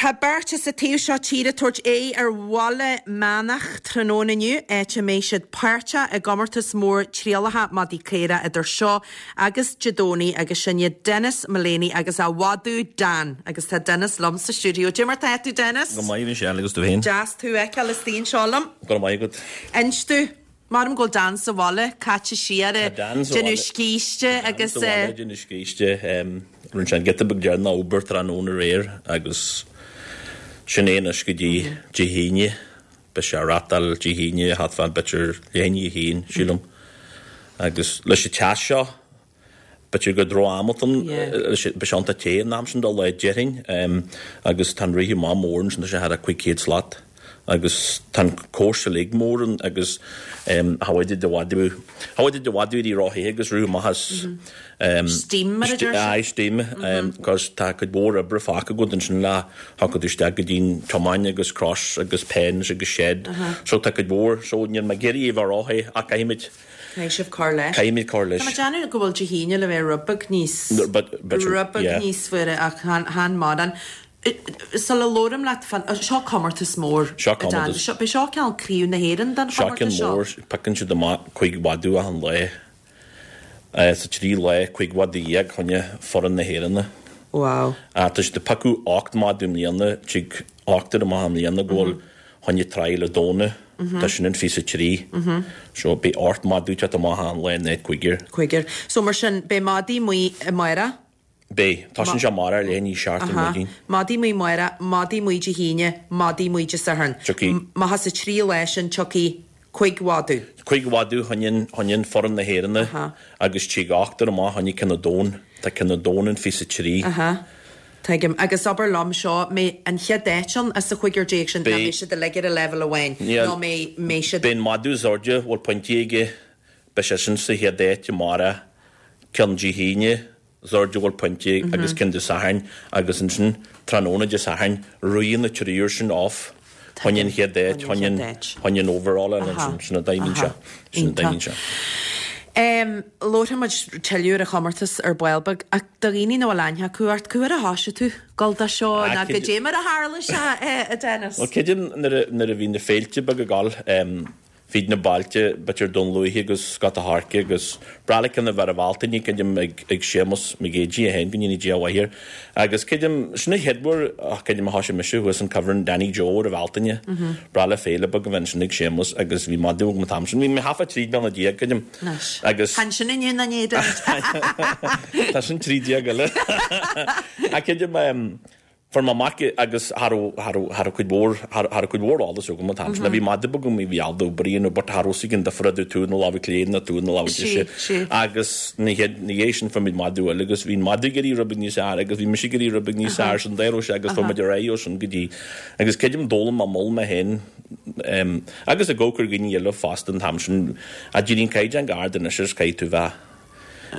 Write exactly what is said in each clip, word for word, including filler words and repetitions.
tá beirt sa taobh seo tíre ag tabhairt aghaidh ar Bhaile Meánach tráthnóna inniu, áit a mbeidh siad páirteach i gcomórtas mór trialacha madaí caora idir seo agus Dé Domhnaigh agus sin iad Denis Mullaney agus a mhadadh Dan. Agus tá Denis liom sa stiúideo. Cad é mar tá tú Denis? Go maith Michelle agus tú féin. Deas tú a fheiceáil istigh anseo liom. Go maith agat. Inis domh, Maram go bhfuil Dan sa bhaile, caite siar Tá Dan sa déanamh bhaile. scíste agus Sa bhaile déanamh scíste rinne sé an giota beag deireanach obair tráthnóna aréir agus sin é anois go dtí Dé hAoine beidh sé ag reáchtáil Dé hAoine thart fán b'fhéidir leath i ndiaidh a haon sílim agus leis an teas seo b'fhéidir gur droch-am atá ann Yeah. beidh sé iontach te an am sin do lá déarfainn agus tá an rith amach mór ansin tá sé thar a cúig chéad slat agus tá an cóiste uilig mór ann agus cha bhfuil de mhadadh cha bhfuil de mhadadh i rothaithe agus rith amach as Steam mar a deir siad. Aye, steam cos tá cuid mhór oibre fágtha agat ansin le thiocfadh tú isteach go dtí'n tiomáin agus cross agus pens agus shed so tá cuid mhór so níl mé ag iarraidh é bheith rothaithe ach caithfimid Caithfidh sibh cur leis. Caithfimid cur leis. Tá mé ag déanamh go bhfuil Dé hAoine le bheith rud beag níos But- but- rud beag yeah. níos fuaire ach chan chan mórán. Sula labhraím leat fan seo comórtas mór. Seo a Dan. comórtas. Seo beidh seo ceann craobh na hÉireann den Seo chomórtas ceann seo. mór piocann siad amach cúig mhadadh achan lá Eh, sa trí lá cúig mhadadh dhéag choinne foireann na hÉireann. Wow. Ah, tá siad ag piocadh ocht madadh i mbliana tig ochtar amach i mbliana go bhfuil choinne trial ar Domhnach Tá sin an fiche a trí. So beidh ocht madadh teacht amach an lá in áit cúigear. Cúigear. So mar sin beidh madaí amuigh amárach. Beidh tá sin sé amárach leath i ndiaidh a seacht ar maidin. Madaí amuigh amárach, madaí amuigh Dé hAoine, madaí amuigh Dé Sathairn. Tiocfaidh. Má sa trí lá sin tiocfaidh cúig mhadadh. Cúig mhadadh choinne choinne foireann na hÉireann agus tig ochtar amach choinne ceann an domhain Tá ceann an domhain an fiche a trí. Aha. Tuigim agus abair liom seo mbeidh an chéad áit ann as a chúigear déag sin ná Beidh- mbeidh siad uilig ar a leibhéal amháin Níl- nó mbeidh mbeidh siad Beidh an madadh is airde bhfuil pointí aige beidh sé sin sa chéad áit amárach ceann Dé hAoine is airde bhfuil pointí agus ceann Dé Sathairn agus ansin tráthnóna Dé Sathairn ritheann na triúr sin off choinne an chéad áit Choinne an choinne chéad áit. choinne an overall Aha. sin a daimín se sin a daimín se. Um, Labharfaimid tuilleadh ar an chomórtas ar ball beag ach do dhaoine nach bhfuil aithne acu ort cá huair a thosaigh tú dul dó seo Ah, ná cid- goidé mar a tharla sé eh, a Dennis. Well creidim nuair a nuair a bhí na féilte beag ag gabháil um, fríd na bailte b'fhéidir Dún Lúiche agus Scota Harca agus breá na bheith Bhealtaine creidim ag ag Séamus Mac Géidigh a haon go ndéana Dia a mhaith air. Agus creidim sin na chéad uair ach creidim a thosaigh mise thuas an Coveran Danny Joe ar Bhealtaine. Breá le féile beag a bheith ansin ag Séamus agus bhí madadh agam an t-am sin bhí mé hafa trí bliana déag creidim. Anois. Agus Chan sin inniu na né Tá sin trí déag eile. A creidim um, fuair mé amach agus thar thar cuid mhór thar cuid mhór eolas agam an t-am sin. Bhí madadh agam i bhí aldo bríon ó but thar an difear tú na lámh clé na tú na lámh Sí, sí. agus na na sin fuair muid madadh eile agus bhí madadh ag éirí rud beag níos fearr agus bhí mise ag éirí rud beag níos fearr sin d'éirigh sé agus fuair muid ar aghaidh ó sin go dtí agus creidim d'fhoghlaim mé mol mé féin um, agus a gcócur gine eile fosta an t-am sin a d'éirigh caighdeán ard anois is caithfidh tú bheith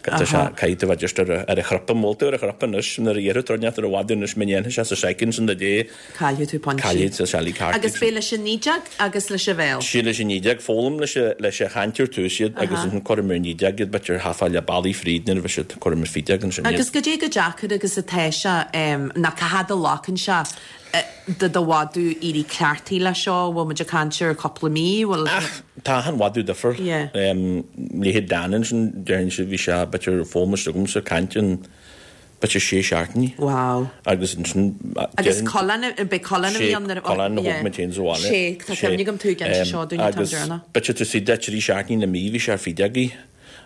caithfidh tú bheith just ar a- ar a chrapa mólta ar a chrapa anois nuair a dhéarfaidh tú ar a mhadadh anois mé dhéanfaidh sé sa soicind sin de dé Caillfidh tú pointí. caillfidh sa sealaí ceart. Agus beidh leis an naoi déag agus leis an bhéal. Sí leis an naoi déag foghlaim leis a- leis a chaint ar tús iad agus an cuirim ar naoi déag iad b'fhéidir half le ballaí fríd nuair a bheidh siad cuirim ar fiche déag ansin iad. Agus goidé chomh deacair agus atá sé um, ná cá fhad a ghlacann sé eh, do do mhadadh éirí cleachtaithe le seo, bhfuil muid ag caint ar cúpla mí, bhfuil Ach tá an mhadadh difriúil. Yeah. Um, Leithéid Dan ansin deireann sé bhí sé b'fhéidir foghlaim agam sa caint an b'fhéidir sé seachtainí. Wow. Agus ansin Agus Colin beidh Colin a bhí ann nuair a- Colin a yeah. thóg mé féin sa bhaile. Sé, tá cuimhne agam tú ag inse seo dúinn an t-am deireanach. B'fhéidir tú sí de trí seachtainí na mí bhí sé ar fiche déag.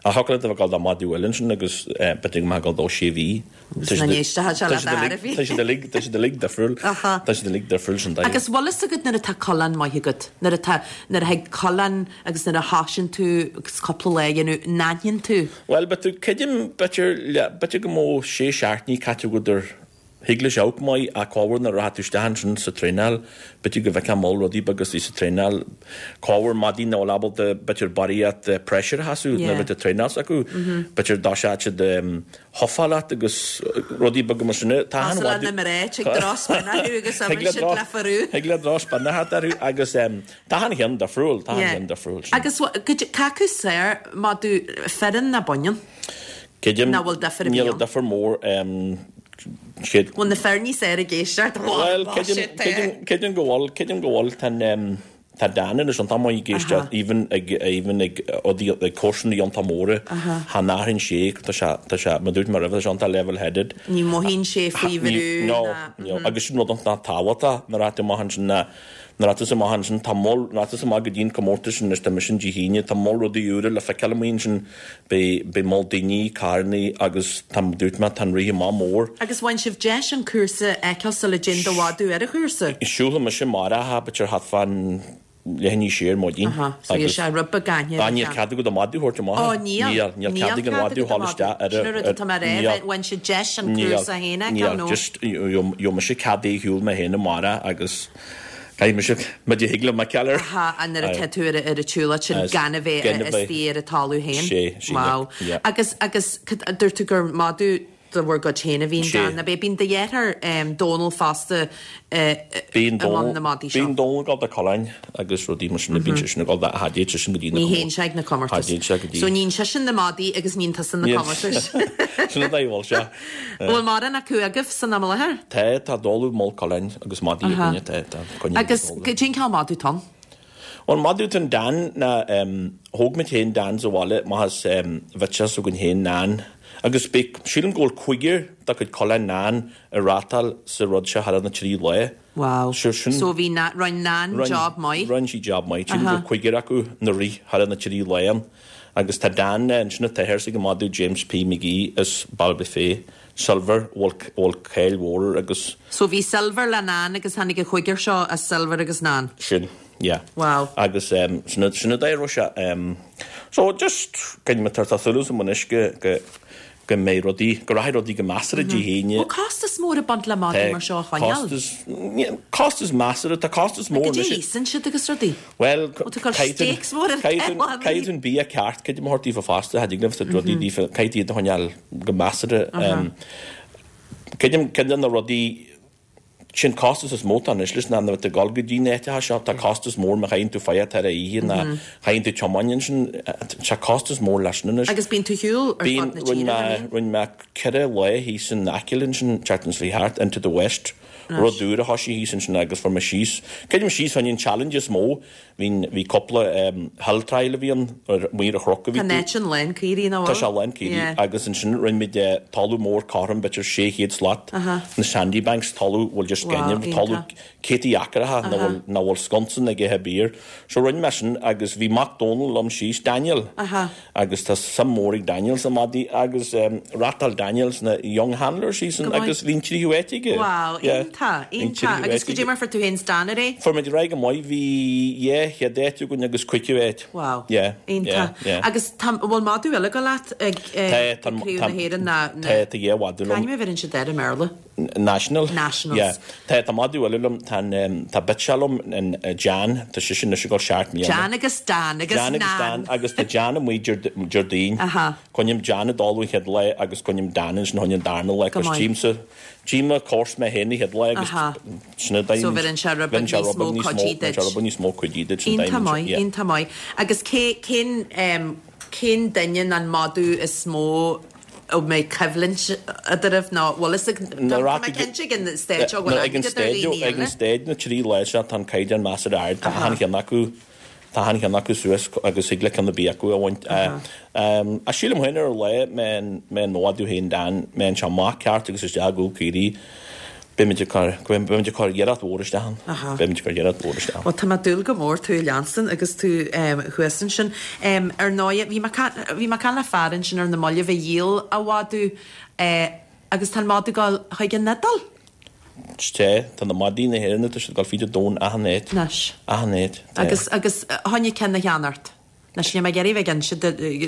A thocla a bheith dul madadh eile ansin agus eh, b'fhéidir go mbeadh dul dó sé mhí. Agus na n-éisteacha sé le d'aire bhí. Tá siad uilig tá siad uilig difriúil. Aha. Tá siad uilig difriúil sin dóigh. Agus bhfuil fhios agat nuair atá coileán maith agat, nuair atá nuair a thig coileán agus nuair a thosaíonn tú agus cúpla lá a dhéanamh n-aithníonn tú. Well, but tú creidim b'fhéidir le- b'fhéidir go mbeadh sé seachtainí caite agat ar thig leis amharc maith a cábhar na raibh tú isteach ansin sa traenáil, b'fhéidir go bhfeicfeá mol rudaí beaga sa traenáil cábhar madaí nach bhfuil ábalta b'fhéidir barraíocht pressure a sheasamh Yeah. nuair a bheith traenáil s'acu. B'fhéidir dá sé siad huffáil leat agus rudaí beaga mar sin. Tá an As mhadadh- na mré ag drospinna agus Thig le siad dros- le farú. Thig le drospinna thart orthu agus um, tá an cheann difriúil, tá an cheann difriúil sin. Agus cé acu is fearr madadh fireann nó baineann? Creidim Nach bhfuil difear a bhí níl ann? difear mór um, chéad Bhfuil na fir níos fearr ag éisteacht? Well, creidim go bhfuil, creidim go bhfuil, tá an, tá Dan anois iontach maith ag éisteacht, even ag, even ag, ag cúrsaí iontach móra, cha n-athraíonn sé, tá sé, tá sé, mar dúirt mé roimhe, tá sé iontach level-headed. Ní mhothaíonn sé faoi bhrú No, ná. no, agus sin rud iontach tábhachtach nuair atá tú amach ansin ná, nuair atá tú amach ansin, tá moll, nuair atá tú amach go dtí an comórtas sin, anois tá mise Dé hAoine, tá moll rudaí úra le feiceáil amuigh ansin, beidh, beidh moll daoine, carrannaí agus tá, dúirt mé, tá an rith amach mór. Agus bhain sibh deis an cúrsa a fheiceáil sula dtéann do mhadadh ar an chúrsa? Siúlfaidh mise amárach, b'fhéidir thart fán leath i ndiaidh a sé ar maidin. Aha, so bhí sé rud beag aithne ar an Níl cead agat an madadh a thabhairt amach. Ó, níl. Níl, níl cead ag an mhadadh a dhul isteach ar Sin an rud atá mé a rá, bhain sibh deis an cúrsa féin a fheiceáil nó? Níl, just, gheobhaidh mise cead é a shiúl mé féin amárach agus caithfidh mise, má thig liom a fheiceáil air. Aha, an nuair atá tú ar an tsiúlóid sin gan a bheith istigh ar an talamh féin. Sé, sé. Wow. Agus, agus, dúirt tú gur madadh de bhur gcuid féin a bhí in Dan, ab é? Bíonn do dheartháir Dónal fosta i mbun na madaí seo. Bíonn Dónal ag dul do coileáin agus rudaí mar sin, bíonn seisean ag dul do, cha dtéann seisean go dtí na Ní théann sé ag na comórtais. Cha dtéann sé go dtí. So níonn seisean na madaí agus níonn tusa na comórtais. Sin an dóigh a bhfuil sé. Bhfuil mórán acu agaibh san am i láthair? Tá, tá dáileadh mol coileáin agus madaí againne, tá, tá coinne Agus cén cineál madadh atá ann? An madadh atá in Dan ná thóg muid féin Dan sa bhaile amach as bhitseach s'againn féin Nan agus beidh, sílim go bhfuil cúigear dá cuid coileáin Nan ag rátáil sa rud seo thar na trí lá. Wow. So sin. So bhí Na, rinne Nan job maith. Rinne sí job maith. Sílim go bhfuil cúigear acu na rith thar na trí lá ann. Agus tá Dan ansin an t-athair s'ag an madadh James P McGee as Ballybofey. Silver, bhfuil, bhfuil cáil mhór air agus. So bhí Silver le Nan agus tháinig an chúigear seo as Silver agus Nan. Sin, yeah. Wow. Agus um, sin, sin an dóigh a raibh sé. Um, so just, creidim tá súil agam anois go, go, go mbeidh rudaí, go rachaidh rudaí go measartha Dé hAoine. Bhfuil costas mór ag baint le madaí mar seo a choinneáil? Costas, costas measartha, tá costas mór anois. Goidé a íosann siad agus rudaí? Bhuel, caithfidh caithfidh tú an bia ceart, creidim a thabhairt daofa fosta, cha dtig libh rudaí daofa, caithfidh iad a choinneáil go measartha. Creidim, ceann de na rudaí Sin costas is mó atá anois leis ná nuair atá tú ag dul go dtí na háiteacha seo, tá costas mór má chailleann tú faigheadh tar oíche ná chailleann tú tiomáin ansin, tá costas mór leis sin anois. Agus bíonn tú ar shiúl ar fud na tíre, nach mbíonn? Rinne mé ceithre lá thíos in Acaill ansin, tseachtain seo thart, Into the West, rud úr a thoisigh thíos ansin agus fuair mé síos, creidim síos fá choinne an challenge is mó Bhí, bhí cúpla hill trial a bhí ann, ar amuigh ar an chnoc a bhí Tá an áit sin lán caoirigh, nach bhfuil? Tá sé lán caoirigh Yeah. agus ansin rinne muid talamh mór cothrom, b'fhéidir sé chéad slat, Aha. na sandy banks, talamh bhfuil just Wow, gaineamh, talamh iontach. céadtaí acracha nach Aha. bhfuil, nach bhfuil sconsa ag ithe bior. So rinne mé sin agus bhí mac Dónal liom síos, Daniel, Aha. agus tá suim mór ag Daniel sna madaí agus reáchtáil Daniel sna Young Handlers síos Go maith. agus bhí an tríú háit aige. Wow, Yeah. iontach, Bhí an iontach. tríú Agus háit goidé aige. mar fuair tú féin 's Dan ar é? Fuair muid ar aghaidh go maith, bhí dhá chéad áit againn agus cúigiú áit. Wow. Yeah, Iontach. yeah, yeah. Agus tá, an bhfuil madadh eile ag dul leat ag Tá, tá, Craobh tá, na hÉireann ná, na, tá, tá dhá mhadadh liom. Cá ainm a bheireann siad air i mBéarla? National. Nationals. Yeah. Tá, tá madadh eile liom, tá an, um, tá bitseach liom, an, uh, Jan, tá sise anois ag dul seacht mbliana. Jan agus Dan agus Jan agus Nan. Dan agus tá Jan amuigh Déardaoin. Aha. Coinním Jan ag dul an chéad lá agus coinním Dan ansin chun an darna lá Go agus maith. tchímse, tchím an cúrsa mé féin an chéad lá agus Aha. sin an So bheireann sé rud beag bheireann sé níos rud mó beag níos mó, cuidí bheireann sé duit. rud beag níos mó cuidí duit sin Iontach daoine, maith, yeah. iontach maith. Agus cé, cén, um, cén duine an madadh is mó a mbeidh coimhlint eadraibh nó bhfuil fhios ag, Na tá rac mé ag- cinnte ag an stage seo go bhfuil Ag an aithne agat ar stage, dhaoine ag an eile. stage na trí lá seo tá an caighdeán measartha ard, tá achan cheann acu, tá achan cheann acu suas agus thig le ceann ar bith acu a bhaint. Ach sílim féin ar an lá mbeidh an madadh féin Dan, mbeidh sé amach ceart agus isteach i gcúl caoirigh, beimid ag cur, beimid ag cur iarracht mhór isteach ann. Beimid ag cur iarracht mhór isteach ann. Bhuel, tá mé ag dúil go mór tú a leanstan agus tú thuas ansin. Ar ndóigh, bhí mé bhí mé ag caint le fear ansin ar na mallaibh a dhíol a mhadadh agus tá an madadh ag dul chuig an Iodáil? Tá, tá na madaí na hÉireann, tá siad ag dul fríd an domhan achan áit. Anois. Achan áit, tá. Agus, agus choinne ceann a cheannacht? Anois níl mé ag iarraidh bheith ag inse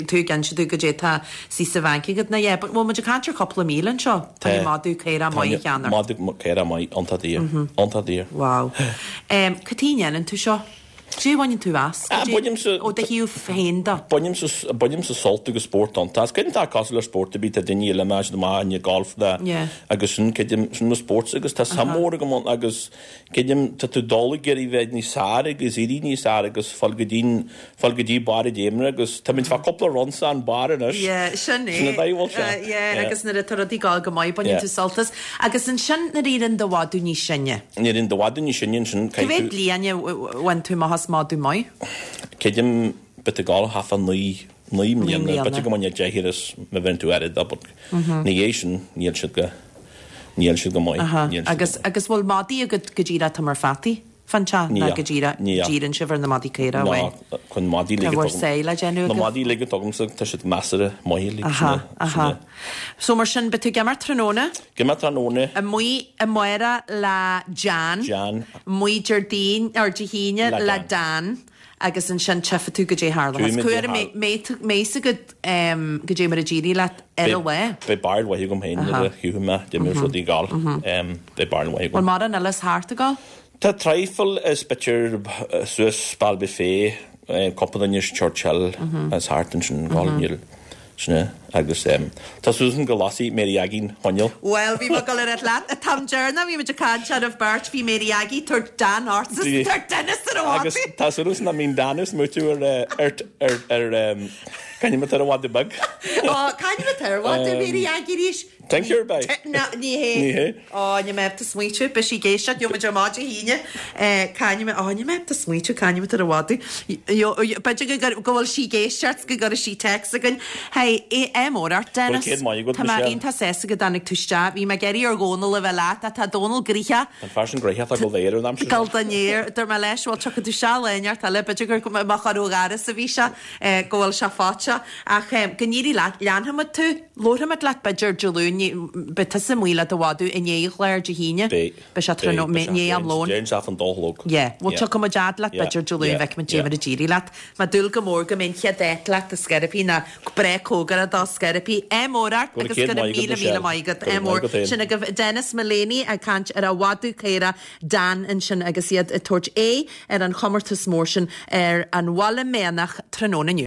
tú ag inse domh goidé tá suas sa bhanc agat ná yeah, but bhfuil muid ag caint ar chúpla míle anseo? Tá. Tá madadh caorach maith a cheannacht. Madadh caorach maith, iontach daor. Iontach daor. Wow. Cad chuige a ndéanann tú seo? Cad é a bhaineann tú as? Ah, bainimse- Ó do thaobh féin de. Bainimse bainimse sult agus spórt ann. Tá creidim tá cosúil le spórt ar bith tá daoine eile más maith in golf de Yeah. agus sin creidim sin mo spórt agus tá suim mór agam ann agus creidim tá tú dul ag iarraidh bheith níos fearr agus éirí níos fearr agus fáil go dtí fáil go dtí barr a d'fhéimre agus tá muid fá cúpla run san barr anois. Yeah, sin é. Sin an dóigh a bhfuil sé. Uh, yeah, Yeah. agus nuair atá rudaí ag gabháil go maith baineann Yeah. tú sult as. Agus ansin nuair a éiríonn do mhadadh níos sine. Nuair a éiríonn do mhadadh níos sine ansin Cá mhéad bliain a bhain tú amach as madadh maith? Creidim bit ag gabháil thart fá naoi naoi mbliana, mbliana. b'fhéidir go mbainfeá deich ar is má bhíonn tú aird but ní hé sin níl siad go níl siad go maith. Aha. níl siad Agus go maith. agus bhfuil madaí agat go díreach tá mar fataí? Fan te ná Níl. go díreach Níl. díreann sibh ar na madaí caora Ná, amháin. chun madaí Tá ligean bhur saol le déanamh Na agaibh? madaí ligean agamsa tá siad measartha maith like, Aha, sin é- sin aha. é. So mar sin beidh tú ag imirt tráthnóna? Ag imirt tráthnóna Amuigh amárach le Jan. Jan. Amuigh Déardaoin ar Dé hAoine Le le Dan. Dan. Agus ansin tchífidh tú goidé tharla. Tuaim Cuair dé méasa go goidé mar a d'éirigh leat ar an lá. Beidh barúil mhaith agam féin nuair a chífidh mé d'imir rudaí gal. Beidh barúil mhaith Bhfuil agam. mórán eile thart ag gabháil? Tá traidhfil is b'fhéidir suas Ballybofey, cúpla duine is Churchill as thart ansin gal níl sin é agus tá Susan go lasfaidh Mary Aggie coinneal. Well, bhí go ar leat an t-am deireanach bhí muid ag caint ar beirt bhí Mary Aggie tar Dan Arts Bhí- tar Dennis ar Agus tá suas na mín Danus múú ar ar ar ar canim ar bhd bug. Cain ar bhd Mary Aggie ríis? Thank you by. Ní hé. Ní hé. Ó ní mé smaoitiú be sí géiseach jo ar má híine caine á ní mé smaoitiú caine ar bhd. B'fhéidir go bhfuil sí ag éisteacht go gcuirfidh sí text againn. Hei é mór ort Dennis. céad maith agat, Tá mé Michelle. iontach sásta go dtáinig tú isteach, bhí mé ag iarraidh ar Dhónal a bheith leat, tá Dónal gnoitheach. An fear sin gnoitheach tá go léir an aimsir. Gal danéir dur me leis bhfuil tucha tú se leneart eile b'fhéidir gur má chu garas a bhí se go bhfuil sé fáte ach go n-éirí leat leanfaimid tú labharfaimid leat b'fhéidir Dé Luain beidh tusa amuigh le do mhadadh i ndiaidh chlár Dé hAoine Beidh sé ní am lón. Déan se an dólóg. Yeah, well tucha dead leat b'fhéidir Dé Luain bheith dé mar a d'éirigh leat, Má dúil go mór go mé chéad leat a sceripí na bre cógara dá sceripí é mórart Go agus céad go maith agat, míle míle Michelle. maith agat Go é mór maith agat féin. sin agaibh Dennis Mullaney ag caint ar a mhadadh caora Dan ansin agus iad ag tabhairt é ar an chomórtas mór sin ar an Bhaile Meánach tráthnóna inniu.